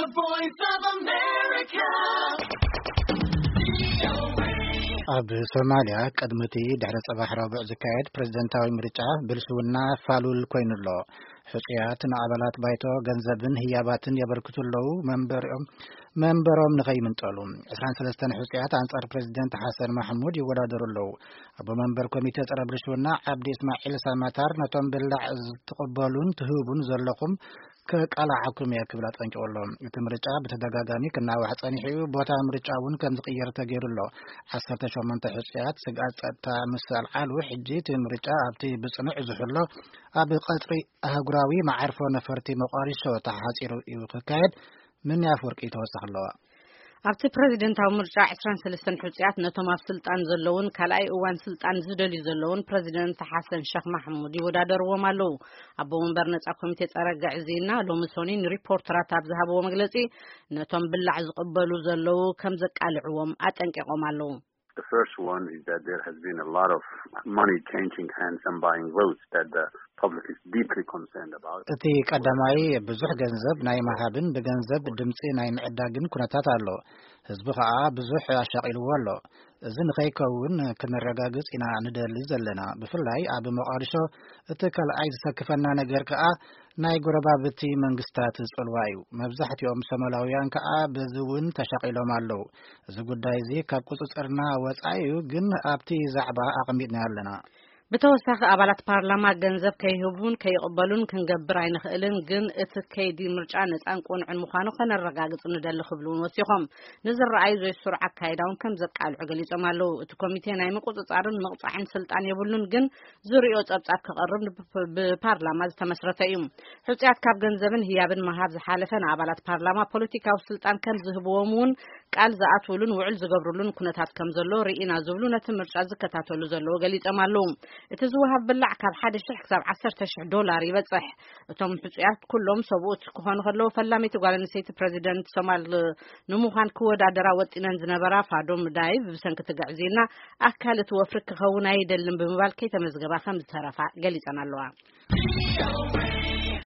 The Voice of America. ኣብ ሶማልያ ቅድሚ እቲ ድሕሪ ጽባሕ ረቡዕ ዝካየድ ፕሬዝደንታዊ ምርጫ ብልሽውና ፋሉል ኮይኑ ኣሎ። ሕጹያት ንኣባላት ባይቶ ገንዘብን ህያባትን የበርክቱ ኣለዉ። መንበሮም መንበሮም ንኸይምንጠሉ ዕስራን ሰለስተን ሕጹያት ኣንጻር ፕሬዝደንት ሓሰን ማሕሙድ ይወዳደሩ ኣለዉ። ኣቦ መንበር ኮሚቴ ጸረ ብልሽውና ዓብዲ እስማዒል ሳማታር ነቶም ብላዕ ዝትቕበሉን ትህቡን ዘለኹም ከቃላዓኩም እየ ክብል ኣጠንቂቑ ኣሎ። እቲ ምርጫ ብተደጋጋሚ ክናዋሕ ጸኒሑ እዩ። ቦታ ምርጫ እውን ከም ዝቕየር ተገይሩ ኣሎ። ዓሰርተ ሸሞንተ ሕጹያት ስግኣት ጸጥታ ምስ ኣልዓሉ፣ ሕጂ እቲ ምርጫ ኣብቲ ብጽኑዕ ዝሕሎ ኣብ ቀጽሪ ኣህጉራዊ መዓርፎ ነፈርቲ ሞቃዲሾ ተሓጺሩ እዩ ክካየድ። ምንያ ኣፍወርቂ ተወሳኺ ኣለዋ። ኣብቲ ፕሬዝደንታዊ ምርጫ ዕስራን ሰለስተን ሕጹያት ነቶም ኣብ ስልጣን ዘለውን ካልኣይ እዋን ስልጣን ዝደልዩ ዘለውን ፕሬዝደንት ሓሰን ሸኽ ማሕሙድ ይወዳደርዎም ኣለዉ። ኣቦ መንበር ነጻ ኮሚቴ ጸረ ግዕዝይና ሎሚ ሶኒ ንሪፖርተራት ኣብ ዝሃብዎ መግለጺ፣ ነቶም ብላዕ ዝቕበሉ ዘለዉ ከም ዘቃልዕዎም ኣጠንቂቖም ኣለዉ። The first one is that there has been a lot of money changing hands and buying votes that the public is deeply concerned about. እቲ ቀዳማይ ብዙሕ ገንዘብ ናይ ምሃብን ብገንዘብ ድምጺ ናይ ምዕዳግን ኩነታት ኣሎ። ህዝቢ ከኣ ብዙሕ ኣሻቒልዎ ኣሎ። እዚ ንኸይከውን ክነረጋግጽ ኢና ንደሊ ዘለና። ብፍላይ ኣብ ሞቃዲሾ እቲ ካልኣይ ዝሰክፈና ነገር ከኣ ናይ ጎረባብቲ መንግስታት ጽልዋ እዩ። መብዛሕትኦም ሶማላውያን ከኣ በዚ እውን ተሻቒሎም ኣለዉ። እዚ ጉዳይ እዚ ካብ ቁጽጽርና ወጻኢ እዩ፣ ግን ኣብቲ ዛዕባ ኣቐሚጥና ኣለና። ብተወሳኺ ኣባላት ፓርላማ ገንዘብ ከይህቡን ከይቕበሉን ክንገብር ኣይንኽእልን፣ ግን እቲ ከይዲ ምርጫ ነጻን ቅኑዕን ምዃኑ ከነረጋግጽ ንደሊ ክብሉ እውን ወሲኾም። ንዝረኣዩ ዘይስሩዕ ኣካይዳ እውን ከም ዘቃልዑ ገሊጾም ኣለዉ። እቲ ኮሚቴ ናይ ምቁጽጻርን ምቕጻዕን ስልጣን የብሉን፣ ግን ዝርእዮ ጸብጻብ ክቐርብ ብ-፣ ብፓርላማ ዝተመስረተ እዩ። ሕጹያት ካብ ገንዘብን ህያብን ምሃብ ዝሓለፈ ንኣባላት ፓርላማ ፖለቲካዊ ስልጣን ከም ዝህብዎም እውን ቃል ዝኣትውሉን ውዕል ዝገብሩሉን ኩነታት ከም ዘሎ ርኢና ዝብሉ ነቲ ምርጫ ዝከታተሉ ዘለዉ ገሊጾም ኣለዉ። እቲ ዝወሃብ ብላዕ ካብ ሓደ ሽሕ ክሳብ ዓሰርተ ሽሕ ዶላር ይበጽሕ። እቶም ሕጹያት ኩሎም ሰብኡት ክኾኑ ከለዉ፣ ፈላመይቲ ጓል ኣንስተይቲ ፕሬዚደንት ሶማል ንምዃን ክወዳደራ ወጢነን ዝነበራ ፋዶም ዳይብ ብሰንኪ ትግዕዝይና ኣካል እቲ ወፍሪ ክኸውን ኣይደልን ብምባል ከይተመዝገባ ከም ዝተረፋ ገሊጸን ኣለዋ።